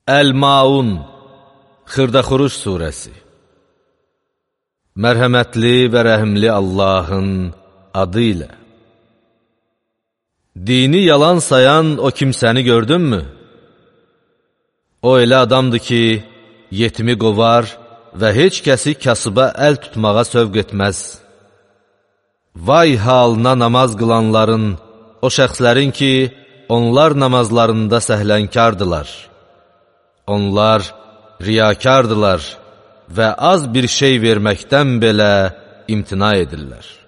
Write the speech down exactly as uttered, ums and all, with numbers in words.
Əl-Maun, Xırdaxuruş surəsi. Mərhəmətli və rəhimli Allahın adı ilə. Dini yalan sayan o kimsəni gördünmü? O elə adamdır ki, yetimi qovar və heç kəsi kasıba əl tutmağa sövq etməz. Vay halına namaz qılanların, o şəxslərin ki, onlar namazlarında səhlənkardılar. Onlar riyakardılar və az bir şey verməkdən belə imtina edirlər.